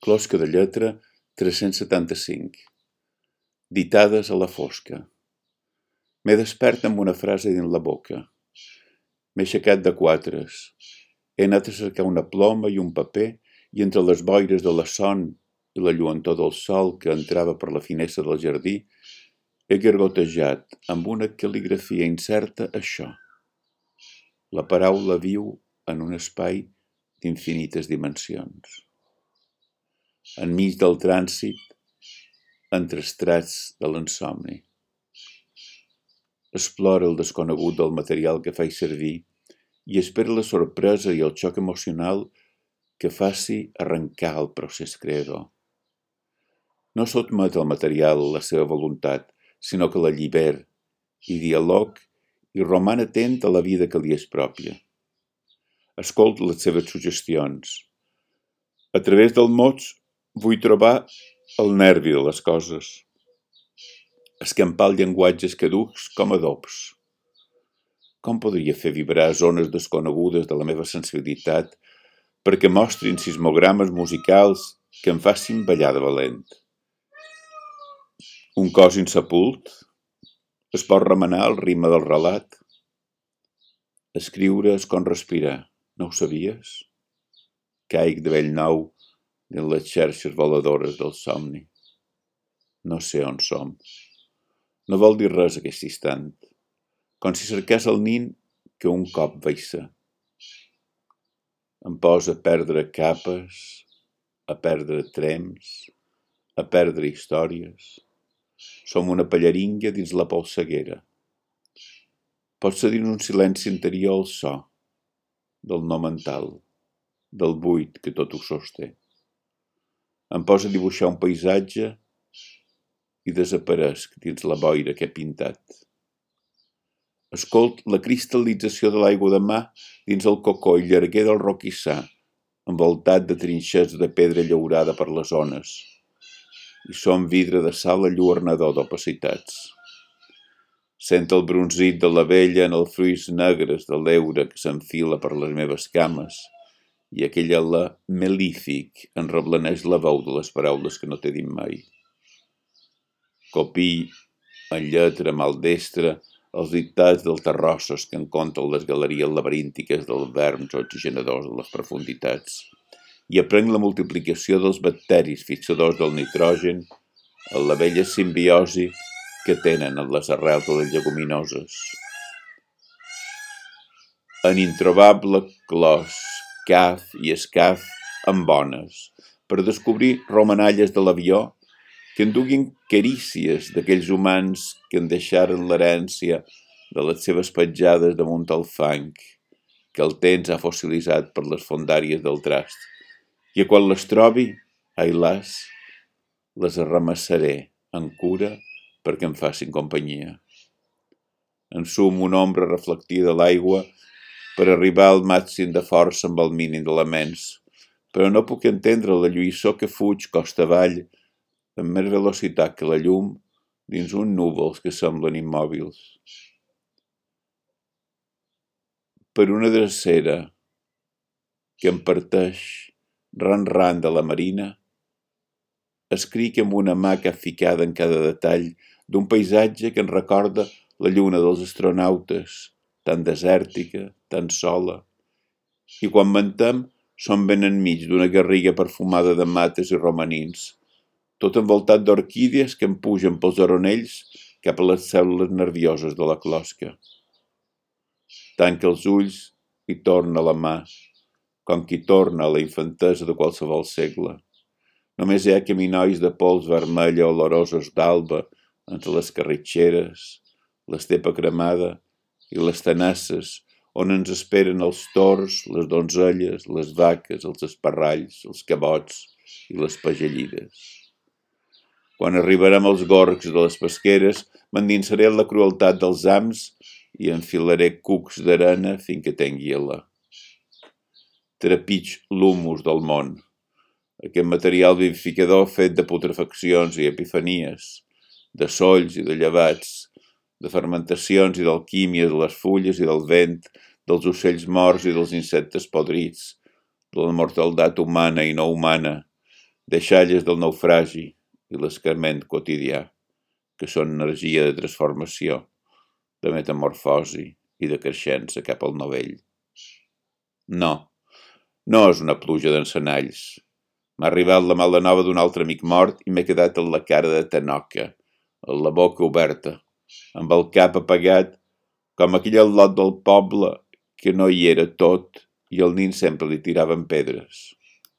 Closca de lletra 375. Ditades a la fosca. M'he despert amb una frase dins la boca. M'he aixecat de quatres. He anat a cercar una ploma i un paper i entre les boires de la son i la lluentor del sol que entrava per la finestra del jardí he gargotejat amb una cal·ligrafia incerta això. La paraula viu en un espai d'infinites dimensions. Enmig del trànsit, entre estrats de l'insomni. Explora el desconegut del material que faig servir i espera la sorpresa i el xoc emocional que faci arrencar el procés creador. No sotmet el material a la seva voluntat, sinó que la lliber i dialog i roman atent a la vida que li és pròpia. Escolt les seves suggestions. A través del mots vull trobar el nervi de les coses. Escampar els llenguatges caducs com adobs. Com podria fer vibrar zones desconegudes de la meva sensibilitat perquè mostrin sismogrames musicals que em facin ballar de valent? Un cos insepult? Es pot remenar el ritme del relat? Escriure és com respirar, no ho sabies? Caic de bell nou dins les xarxes voladores del somni. No sé on som. No vol dir res aquest instant, com si cercés el nin que un cop vaig ser. Em posa a perdre capes, a perdre trems, a perdre històries. Som una pallaringa dins la polseguera. Pot ser dins un silenci interior el so, del no mental, del buit que tot ho sosté. Em posa a dibuixar un paisatge i desaparesc dins la boira que he pintat. Escolt la cristal·lització de l'aigua de mar dins el cocoll llarguer del roquissar, envoltat de trinxers de pedra llaurada per les ones, i som vidre de sal alluernador d'opacitats. Sent el bronzit de la vella en els fruits negres de l'eure que s'enfila per les meves cames, i aquell alè melífic en reblaneix la veu de les paraules que no t'he dit mai. Copiï en lletra maldestra els dictats dels terrossos que encontren les galeries laberíntiques dels verms oxigenadors de les profunditats i aprenc la multiplicació dels bacteris fixadors del nitrogen en la vella simbiosi que tenen en les arrels de les lleguminoses. En introbable clos, caf i escaf amb bones, per descobrir romanalles de l'avió que enduguin carícies d'aquells humans que en deixaren l'herència de les seves petjades damunt el fang, que el temps ha fossilitzat per les fondàries del trast, i quan les trobi, ai las, les arramassaré en cura perquè em facin companyia. Ensum una ombra reflectida a l'aigua per arribar al màxim de força amb el mínim d'elements, però no puc entendre la lluïssor que fuig costa avall amb més velocitat que la llum dins uns núvols que semblen immòbils. Per una drecera que em parteix ran de la marina, escric amb una mà capficada en cada detall d'un paisatge que em recorda la lluna dels astronautes, tan desèrtica, tan sola, i quan mentem som ben enmig d'una garriga perfumada de mates i romanins, tot envoltat d'orquídies que em pugen pels oronells cap a les cèl·lules nervioses de la closca. Tanca els ulls i torna la mà, com qui torna a la infantesa de qualsevol segle. Només hi ha caminois de pols vermella olorosos d'alba entre les carritxeres, l'estepa cremada i les tenasses on ens esperen els tords, les donzelles, les vaques, els esparralls, els cabots i les pagellides. Quan arribarem als gorgs de les pesqueres, m'endinsaré en la crueltat dels ams i enfilaré cucs d'arena fins que tingui alè. Trepig l'humus del món, aquest material vivificador fet de putrefaccions i epifanies, de solls i de llevats, de fermentacions i d'alquímies de les fulles i del vent, dels ocells morts i dels insectes podrits, de la mortaldat humana i no humana, deixalles del naufragi i l'escarment quotidià, que són energia de transformació, de metamorfosi i de creixença cap al novell. No, no és una pluja d'encenalls. M'ha arribat la mala nova d'un altre amic mort i m'he quedat amb la cara de tanoca, amb la boca oberta, amb el cap apagat, com aquell al lot del poble que no hi era tot i el nin sempre li tiraven pedres.